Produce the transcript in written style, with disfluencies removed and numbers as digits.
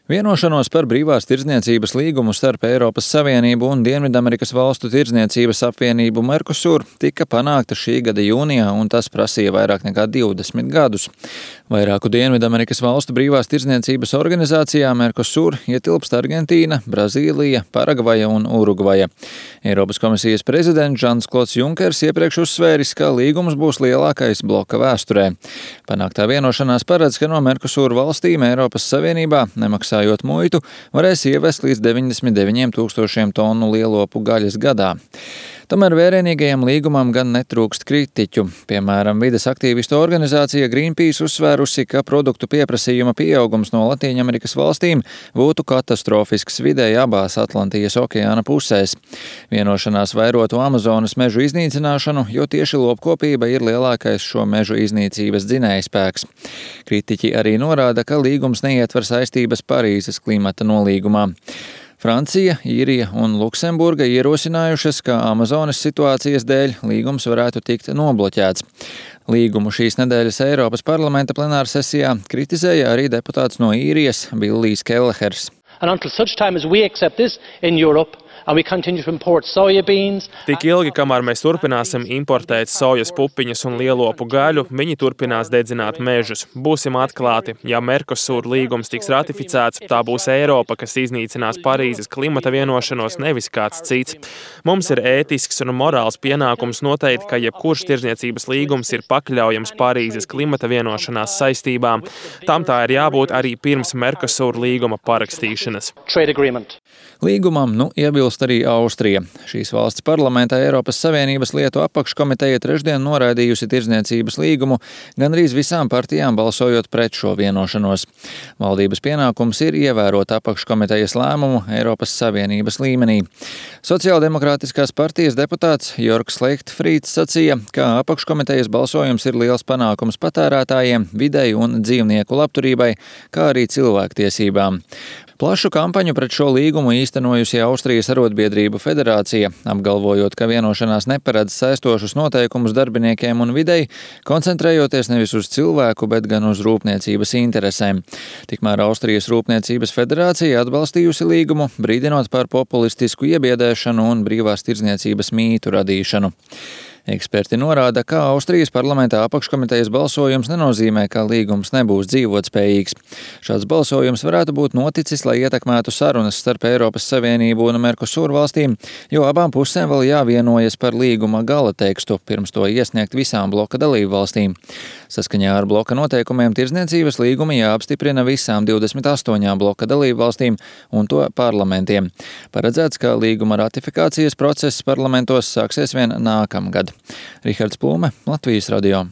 Vienošanos par brīvās tirdzniecības līgumu starp Eiropas Savienību un Dienvidamerikas valstu tirdzniecības apvienību Mercosur tika panākta šī gada jūnijā, un tas prasīja vairāk nekā 20 gadus. Vairāku Dienvidamerikas valstu brīvās tirdzniecības organizācijā Mercosur ietilpst Argentīna, Brazīlija, Paragvaja un Urugvaja. Eiropas komisijas prezidents Žans-Klods Junkers iepriekš uzsvēris, ka līgums būs lielākais bloka vēsturē. Panāktā vienošanās paredz, ka no Mercosur valstīm Eiropas Savienībā nemaksājot muitu, varēs ievest līdz 99 000 tonu lielopu gaļas gadā. Tomēr vērienīgajam līgumam gan netrūkst kritiķu. Piemēram, vides aktīvistu organizācija Greenpeace uzsvērusi, ka produktu pieprasījuma pieaugums no Latīņamerikas valstīm būtu katastrofisks videi abās Atlantijas okeāna pusēs. Vienošanās vairotu Amazonas mežu iznīcināšanu, jo tieši lopkopība ir lielākais šo mežu iznīcības dzinējspēks. Kritiķi arī norāda, ka līgums neietver saistības Parīzes klimata nolīgumā. Francija, Īrija un Luksemburga ierosinājušas, ka Amazonas situācijas dēļ līgums varētu tikt nobloķēts. Līgumu šīs nedēļas Eiropas parlamenta plenārsesijā kritizēja arī deputāts no Īrijas Billijs Kellehers. Tik ilgi, kamēr mēs turpināsim importēt sojas pupiņas un lielopu gaļu, viņi turpinās dedzināt mežus. Būsim atklāti, ja Mercosur līgums tiks ratificēts, tā būs Eiropa, kas iznīcinās Parīzes klimata vienošanos, nevis kāds cits. Mums ir ētisks un morāls pienākums noteikt, ka jebkurš tirdzniecības līgums ir pakļaujams Parīzes klimata vienošanās saistībām. Tam tā ir jābūt arī pirms Mercosur līguma parakstīšanas. Līgumam iebilst arī Austrija. Šīs valsts parlamentā Eiropas Savienības lietu apakškomiteja trešdien noraidījusi tirdzniecības līgumu, gandrīz visām partijām balsojot pret šo vienošanos. Valdības pienākums ir ievērot apakškomitejas lēmumu Eiropas Savienības līmenī. Sociāldemokrātiskās partijas deputāts Jorgs Leichtfrīds sacīja, ka apakškomitejas balsojums ir liels panākums patērētājiem, videi un dzīvnieku labturībai, kā arī cilvēktiesībām. Plašu kampaņu pret šo līgumu īstenojusi Austrijas arotbiedrību federācija, apgalvojot, ka vienošanās neparedz saistošus noteikumus darbiniekiem un videi, koncentrējoties nevis uz cilvēku, bet gan uz rūpniecības interesēm. Tikmēr Austrijas Rūpniecības federācija atbalstījusi līgumu, brīdinot par populistisku iebiedēšanu un brīvās tirdzniecības mītu radīšanu. Eksperti norāda, ka Austrijas parlamentā apakškomitejas balsojums nenozīmē, ka līgums nebūs dzīvotspējīgs. Šāds balsojums varētu būt noticis, lai ietekmētu sarunas starp Eiropas Savienību un Mercosur valstīm, jo abām pusēm vēl jāvienojas par līguma gala tekstu, pirms to iesniegt visām bloka dalību valstīm. Saskaņā ar bloka noteikumiem tirdzniecības līgumi jāapstiprina visām 28 bloka dalību valstīm un to parlamentiem. Paredzēts, ka līguma ratifikācijas process parlamentos sāksies vien nākamgad. Rihards Plūme, Latvijas radio.